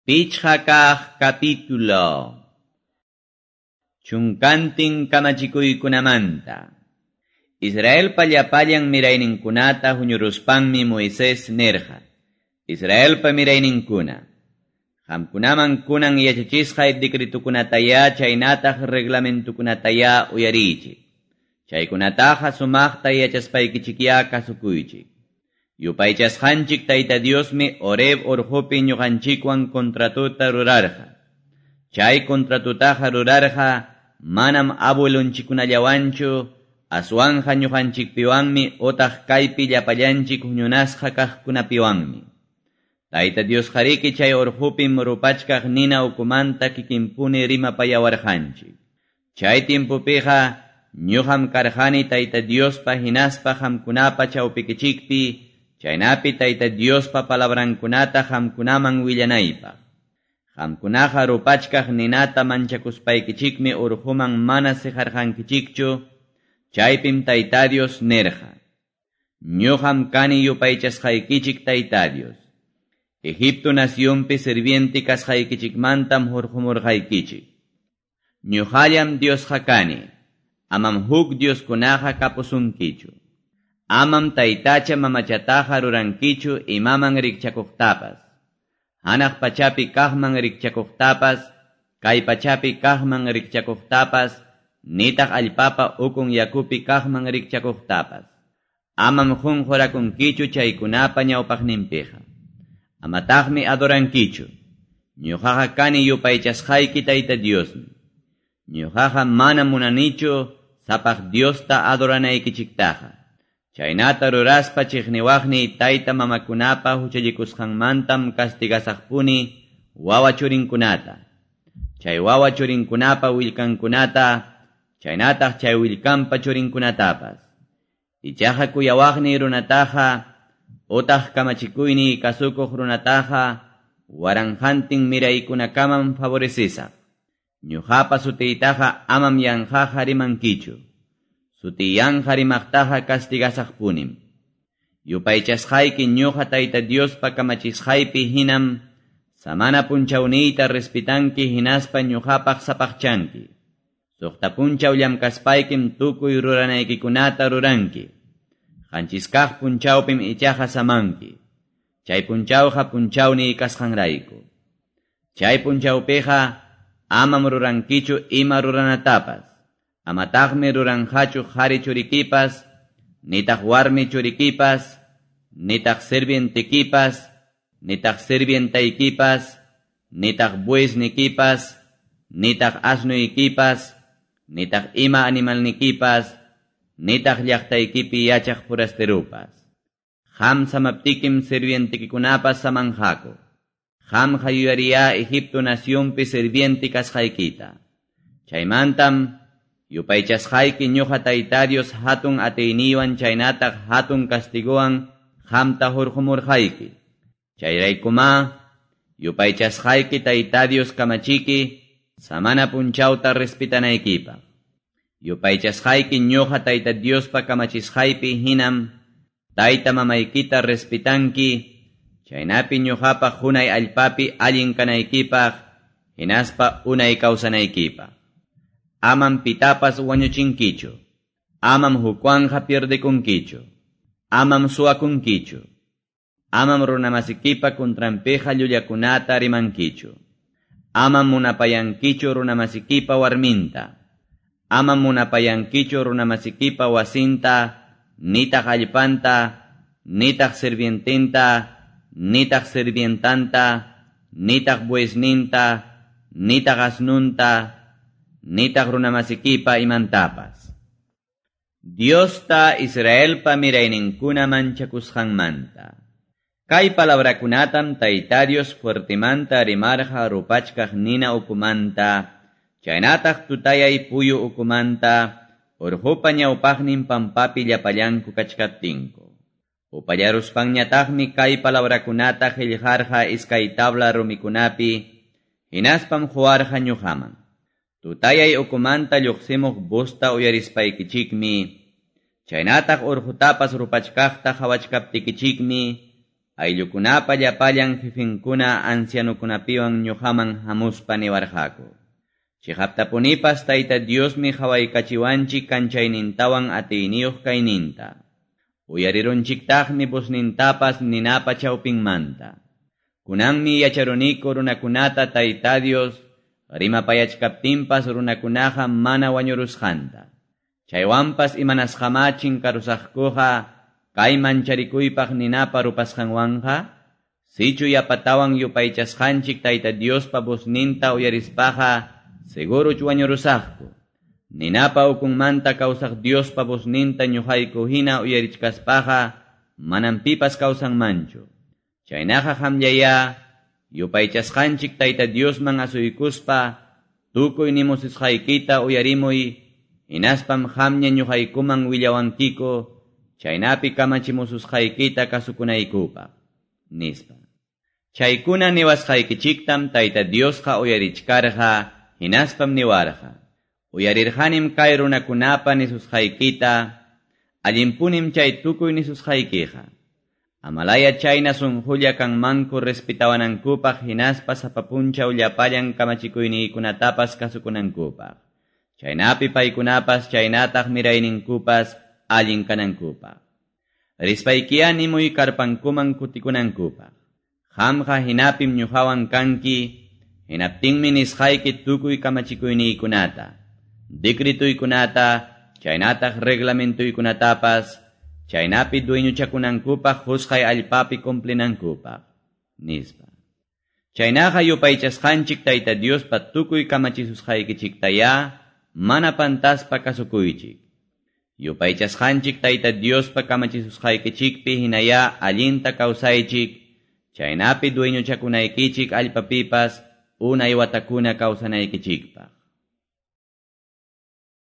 Pichqa kaq capítulo. Chunkantin kamachikuykunamanta. Israelpa llapallan mirayninkunata huñuruspanmi Moisés nirqa. Israelpa mirayninkuna. Qamkunaman kunan yachachisqay decretukunatayá chaynataq reglamentukunatayá uyariychik. Chaykunataqa sumaqta yachaspaykichikyá kasukuychik. Yupaychasqanchik Tayta Diosmi Horeb urqupi ñuqanchikwan contratuta rurarqa. Chay contratutaqa rurarqa manam abuelunchikkunallawanchu, aswanqa ñuqanchikpiwanmi utaq kaypi llapallanchik huñunasqa kaqkunapiwanmi. Tayta Diosqariki chay urqupim rupachkaq nina ukumanta kikinpuni rimapayawarqanchik. Chay timpupiqa ñuqam karqani Tayta Diospa hinaspa qamkunapa chawpikichikpi, chaynapi Tayta Diospa palabrankunata qamkunaman willanaypaq. Qamkunaqa rupachkaq ninata manchakuspaykichikmi urquman mana siqarqankichikchu, chaypim Tayta Dios nirqa. Ñuqam kani yupaychasqaykichik Tayta Dios. Egipto nacionpi sirviente kasqaykichikmantam hurqumurqaykichik. Ñuqallam Diosqa kani, amam huk Dioskunaqa kapusunkichu. Amam taytacha mamachataqa rurankichu imaman rikchakuqtapas. Hanaq pachapi kaqman rikchakuqtapas, kay pachapi kaqman rikchakuqtapas, nitaq allpapa ukun yakupi kaqman rikchakuqtapas. Amam qunqurakunkichu chaykunapa ñawpaqninpiqa. Amataqmi adorankichu. Ñuqaqa kani yupaychasqayki Tayta Diosmi. Ñuqaqa mana munanichu sapaq Diosta adoranaykichiktaqa. Chaynata ruraspa chiqniwaqni tayta mamakunapa huchallikusqanmantam castigasaqpuni wawa churinkunata. Chay wawa churinkunapa willkankunata, chaynataq chay willkanpa churinkunatapas. Ichaqa kuyawaqni runataqa, utaq kamachikuyni kasukuq runataqa, waranqantin miraykunakamam favorecisaq. Ñuqapa sutiytaqa amam yanqaqa rimankichu. Sutiyanqa rimaqtaqa castigasaqpunim. Yupaychasqayki ñuqa Tayta Diospa kamachisqaypi hinam samana punchawniyta respitanki hinaspa ñuqapaq sapaqchanki. Suqta punchaw llamkaspaykim tukuy ruranaykikunata ruranki. Qanchiskaq punchawpim ichaqa samanki. Chay punchawqa punchawniy kasqanrayku. Chay punchawpiqa amam rurankichu ima ruranatapas. Amataqmi ruranqachu qhari churikipas, nitaq warmi churikipas, nitaq sirvientekipas, nitaq sirvientaykipas, nitaq buesnikipas, nitaq asnuykipas, nitaq ima animalnikipas, nitaq llaqtaykipi yachaq forasterupas. Qam samaptikim sirvientekikunapas samanqaku. Qamqa yuyariyá Egipto nacionpi sirviente kasqaykita. Chaymantam yupaychasqayki ñuqa Tayta Dios hatun atiyniywan chaynataq hatun castiguwan qamta hurqumurqayki. Chayraykumá yupaychasqayki Tayta Dios kamachiki samana punchawta respetanaykipaq. Yupaychasqayki ñuqa Tayta Diospa kamachisqaypi hinam tayta mamaykita respetanki, chaynapi ñuqapaq hunay allpapi allin kanaykipaq, hinaspa unay kawsanaykipaq. Amam pitapas wañuchinkichu. Amam hukwanqa pierdekunkichu. Amam suwakunkichu. Amam runamasikipa kuntranpiqa llullakunata rimankichu. Amam munapayankichu runamasikipa warminta. Amam munapayankichu runamasikipa wasinta, nitaq allpanta, nitaq sirvientinta, nitaq sirvientanta, nitaq buesninta, nitaq asnunta, nitaq runamasikipa imantapas. Diosta Israelpa mirayninkuna manchakusqanmanta. Kay palabrakunatam Tayta Dios fuertemanta rimarqa rupachkaq nina ukumanta, chaynataq tutayay puyu ukumanta, urqupa ñawpaqnin pampapi llapallanku kachkaptinku. Upallaruspanñataqmi kay palabrakunata qillqarqa iskay tabla rumikunapi, hinaspam quwarqa ñuqaman. Tutayay ukumanta lluqsimuq busta uyarispaykichikmi, chaynataq urqutapas rupachkaqta qhawachkaptikichikmi, Ayllukunapa llapallan jefenkuna ancianokunapiwan ñuqaman hamuspa niwarqaku: Chiqaptapunipas Tayta Diosmi qawaykachiwanchik kanchaynintawan atiyniyuq kayninta. Uyarirunchiktaqmi voznintapas ninapa chawpinmanta. Kunanmi yacharuniku runakunata Tayta Dios rimapayachkaptinpas runakunaqa mana wañurusqanta. Chaywanpas imanasqamá chinkarusaqkuqa kay mancharikuypaq ninapa rupasqanwanqa, sichu yapatawan yupaychasqanchik Tayta Diospa vozninta uyarispaqa seguruch wañurusaqku. Ninapa ukunmanta kawsaq Diospa vozninta ñuqayku hina uyarichkaspaqa manam pipas kawsanmanchu. Chaynaqa qamllayá yupaychasqanchik Tayta Diosman asuykuspa tukuy nimusisqaykita uyarimuy, hinaspam qamña ñuqaykuman willawankiku chaynapi kamachimususqaykita kasukunaykupaq, nispa. Chaykuna niwasqaykichiktam Tayta Diosqa uyarichkarqa, hinaspam niwarqa: Uyarirqanim kay runakunapa nisusqaykita, allinpunim chay tukuy nisusqaykiqa. Amalaya chayna sunqulla kanmanku respetawanankupaq hinaspa sapa punchaw llapallan kamachikuyniykunatapas kasukunankupaq. Chaynapi paykunapas chaynataq mirayninkupas allin kanankupaq. Rispaykiya nimuy karpankuman kutikunankupaq. Qamqa hinapim ñuqawan kanki, hinaptinmi nisqayki tukuy kamachikuyniykunata, decretuykunata, chaynataq reglamentuykunatapas, chaynapi dueñochakunankupaq qusqay allpapi cumplinankupaq, nispa. Chaynaqa yupaychasqanchik Tayta Diospa tukuy kamachisusqaykichiktayá mana pantaspa kasukuychik. Yupaychasqanchik Tayta Diospa kamachisusqaykichikpi hinayá allinta kawsaychik, chaynapi dueñochakunaykichik allpapipas unay watakuna kawsanaykichikpaq.